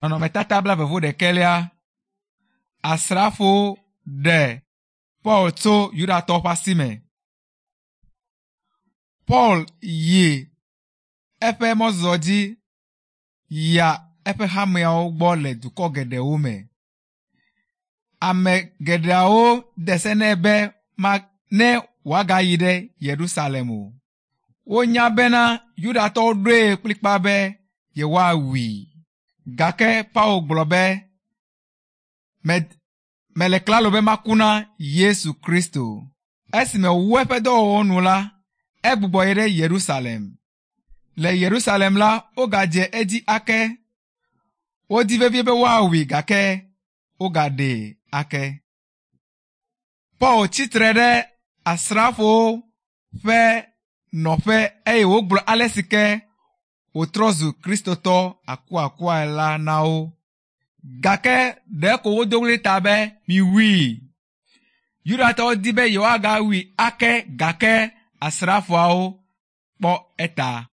Nɔnɔmetata blaeve-vɔ-ɖekɛlia. Asrafowo ɖe Paul tso Yudatɔwo ƒe asi me. Paul yi eƒe mɔzɔzɔ dzi yia eƒe hameawo gbɔ le dukɔ geɖewo me. Ame geɖeawo de se nɛ be ma ne wòagayi ɖe Yerusalem o. Wonya bena Yudatɔwo ɖoe kplikpaa be yewoawui. Gake Paul gblɔ be, Mele klalo be maku na Yesu Kristo. Esime wòwu eƒe dɔwɔwɔ nu la, egbugbɔ yi ɖe Yerusalem. Le Yerusalem la, wogadze edzi ake. Wodi vevie be woawui gake wogaɖee ake. Paul tsi tre ɖe asrafowo ƒe nɔƒe eye wògblɔ ale si ke wòtrɔ zu Kristotɔ akuakuae la na wo. Gake ɖeko wodo ɣli ta be, Miwui! Yudatɔwo di be yewoagawui ake gake asrafoawo kpɔ eta.